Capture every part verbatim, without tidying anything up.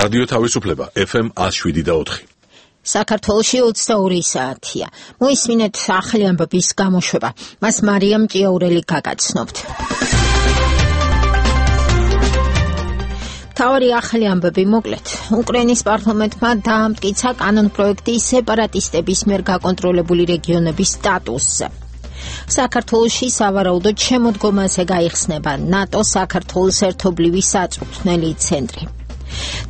რადიო თავისუფლება ეფ ემ one oh seven და four. საქართველოში ოცდაორი საათია. მოისმინეთ ახალი ამბების გამოშვება. მას მარიამ ჭიაურელი გაგაცნობთ. თავი ახალი ამბები მოკლედ. უკრაინის პარლამენტმა დაამტკიცა კანონპროექტი სეპარატისტების მიერ გაკონტროლებული რეგიონების სტატუსზე. საქართველოში სავარაუდოდ შემოდგომაზე გაიხსნება ნატო საქართველოს ერთობლივი საწვრთნელი ცენტრი.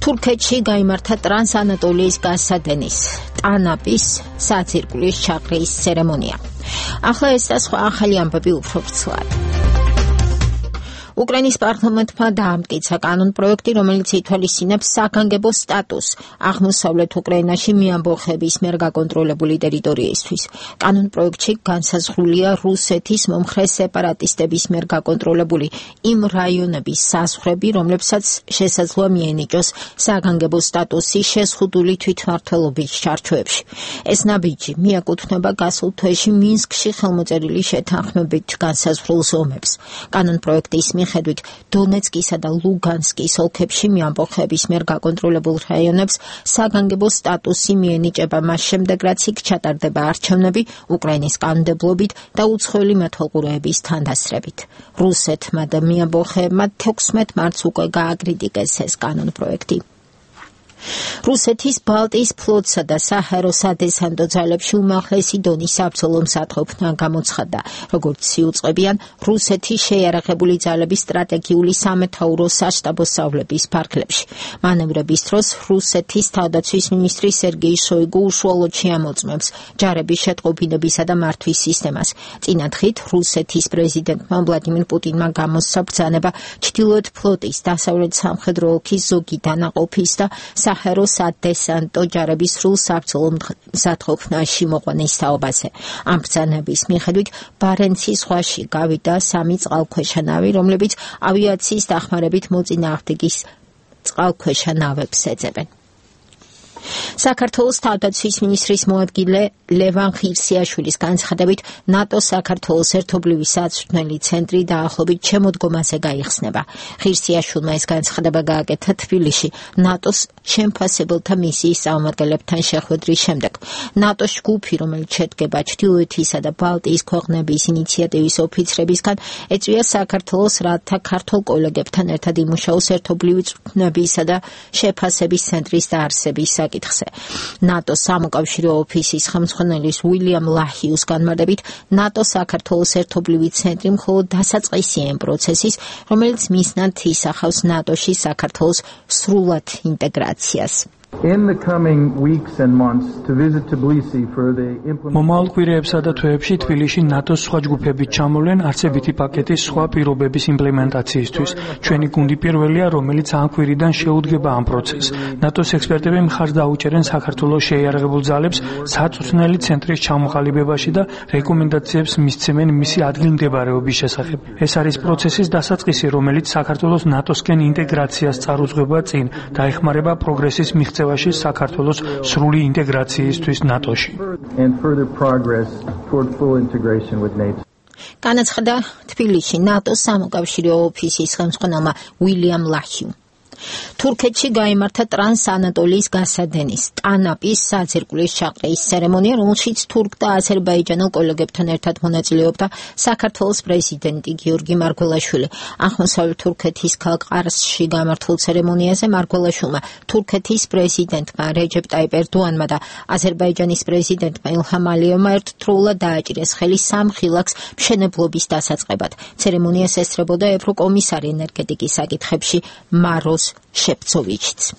თურქეთში გაიმართა ტრანსანატოლიის გასადენის ტანაპის საძირკვლის ჩაყრის ცერემონია. ახლა ეს და სხვა ახალი ამბები უფრო ვრცლად. უკრაინის პარლამენტმა დაამტკიცა კანონპროექტი, რომელიც ითვალისწინებს საგანგებო სტატუსს აღმოსავლეთ უკრაინაში მიამბოხების მიერ გაკონტროლებული ტერიტორიისთვის. კანონპროექტში განსაზღვრულია რუსეთის მომხრე სეპარატისტების მიერ გაკონტროლებული იმ რაიონების საზღვრები, რომლებსაც შესაძლოა მიენიჭოს საგანგებო სტატუსი შეზღუდული თვითმმართველობის ჩარჩოებში. ეს ნაბიჯი მიაკუთვნება გასულ თვეში მინსკში ხელმოწერილი შეთანხმებით განსაზღვრულ ზომებს. კანონპროექტის მიხედვით დონეცკისა და ლუგანსკის ოლქებში მიამბოხების მიერ გაკონტროლებულ რაიონებს საგანგებო სტატუსი მიენიჭება მას შემდეგ, რაც იქ ჩატარდება არჩევნები უკრაინის კანონმდებლობით და უცხოელი მეთვალყურეების თანდასწრებით. რუსეთმა და მიამბოხებმა თექვსმეტ მარტს უკვე გააკრიტიკეს ეს კანონპროექტი. რუსეთის ბალტიის ფლოტსა და საჰაერო სადესანტო ძალებში უმაღლესი დონის საბრძოლო მსათხოფნა გამოცხადდა, როგორც იუწყებიან რუსეთის შეიარაღებული ძალების სტრატეგიული სამეთაურო საშტაბო სწავლების ფარგლებში. მანევრების დროს რუსეთის თავდაცვის მინისტრი სერგეი შოიგუ უშუალოდ შეამოწმებს ჯარების შეტყობინებისა და მართვის სისტემას. წინა დღით რუსეთის პრეზიდენტმა ვლადიმირ პუტინმა გამოსცა ბრძანება ჩრდილოეთ ფლოტის დასავლეთ სამხედრო ოლქის ზოგი დანაყოფის და საჰაერო სადესანტო ჯარების სრულ საბრძოლო მსათხოფნაში მოყვანის თაობაზე. ამ ბრძანების მიხედვით ბარენცის ზღვაში გავიდა სამი წყალქვეშა ნავი, რომლებიც ავიაციის დახმარებით მოწინააღმდეგის წყალქვეშა ნავებს ეძებენ. საქართველოს თავდაცვის მინისტრის მოადგილე ლევან ხირსიაშვილის განცხადებით ნატო საქართველოს ერთობლივი საწვრთნელი ცენტრი დაახლოებით შემოდგომაზე გაიხსნება. ხირსიაშვილმა ეს განცხადება გააკეთა თბილისში ნატოს შემფასებელთა მისიის წარმომადგენლებთან შეხვედრის შემდეგ. ნატოს ჯგუფი, რომელიც შედგება ჩრდილოეთისა და ბალტიის ქვეყნების ინიციატივის ოფიცრებისგან, ეწვია საქართველოს რათა ქართულ კოლეგებთან ერთად იმუშაოს ერთობლივი წვრთნებისა და შეფასების ცენტრის დაარსების საკითხზე. ნატოს სამოკავშირო ოფისის ხელმძღვანელის უილიამ ლაჰიუს განმარტებით, ნატო საქართველოს ერთობლივი ცენტრი მხოლოდ დასაწყისია იმ პროცესის, რომელიც მიზნად ისახავს ნატოში საქართველოს სრულად ინტეგრაციას. მომავალ კვირეებსა და თვეებში თბილისში ნატოს სხვა ჯგუფები ჩამოვლენ არცებითი პაკეტის სხვა პირობების იმპლემენტაციისთვის. ჩვენი გუნდი პირველია, რომელიც ამ კვირიდან შეუდგება ამ პროცესს. ნატოს ექსპერტები მხარს დაუჭერენ საქართველოს შეიარაღებულ ძალებს საწვრთნელი ცენტრის ჩამოყალიბებაში და რეკომენდაციებს მისცემენ მისი ადგილმდებარეობის შესახებ. ეს არის პროცესის დასაწყისი, რომელიც საქართველოს ნატოსკენ ინტეგრაციას წარუძღვება წინ და ეხმარება პროგრესის მიღწევას საქართველოს სრული ინტეგრაციისთვის ნატოში. განაცხადა თბილისში ნატოს სამოკავშირო ოფისის ხელმძღვანელმა უილიამ ლაჰიუმ. თურქეთში გაიმართა ტრანსანატოლიის გასადენის ტანაპის საძირკვლის ჩაყრის ცერემონია, რომელშიც თურქ და აზერბაიჯანელ კოლეგებთან ერთად მონაწილეობდა საქართველოს პრეზიდენტი გიორგი მარგველაშვილი. აღმოსავლეთ თურქეთის ქალაქ ყარსში გამართულ ცერემონიაზე მარგველაშვილმა თურქეთის პრეზიდენტმა რეჯეპ ტაიპ ერდოანმა და აზერბაიჯანის პრეზიდენტმა ილჰამ ალიევმა ერთდროულად დააჭირეს ხელი სამ ხილაკს მშენებლობის დასაწყებად. ცერემონიას ესწრებოდა ევროკომისარი ენერგეტიკის საკითხებში მაროს შეფცოვიჩიც.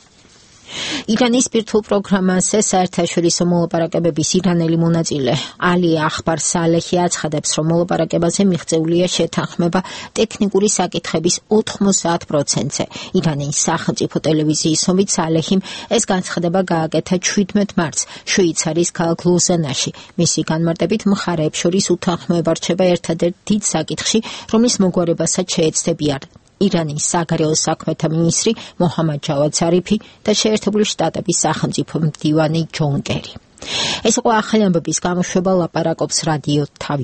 ირანის ბირთვულ პროგრამაზე საერთაშორისო მოლაპარაკებების ირანელი მონაწილე ალი ახბარ სალეჰი აცხადებს, რომ მოლაპარაკებაზე მიღწეულია შეთანხმება ტექნიკური საკითხების ოთხმოცდაათ პროცენტზე. ირანის სახელმწიფო ტელევიზიის ომით სალეჰიმ ეს განცხადება გააკეთა შვიდმეტ მარტს შვეიცარიის ქალაქ ლოზანაში. მისი განმარტებით, მხარეებს შორის უთანხმოება რჩება ერთადერთ დიდ საკითხში, რომლის მოგვარებასაც შეეცდებიან ირანის საგარეო საქმეთა მინისტრი მოჰამად ჯავად ზარიფი და შეერთებული შტატების სახელმწიფო მდივანი ჯონ კერი. ეს იყო ახალი ამბების გამოშვება, ლაპარაკობს რადიო თავი.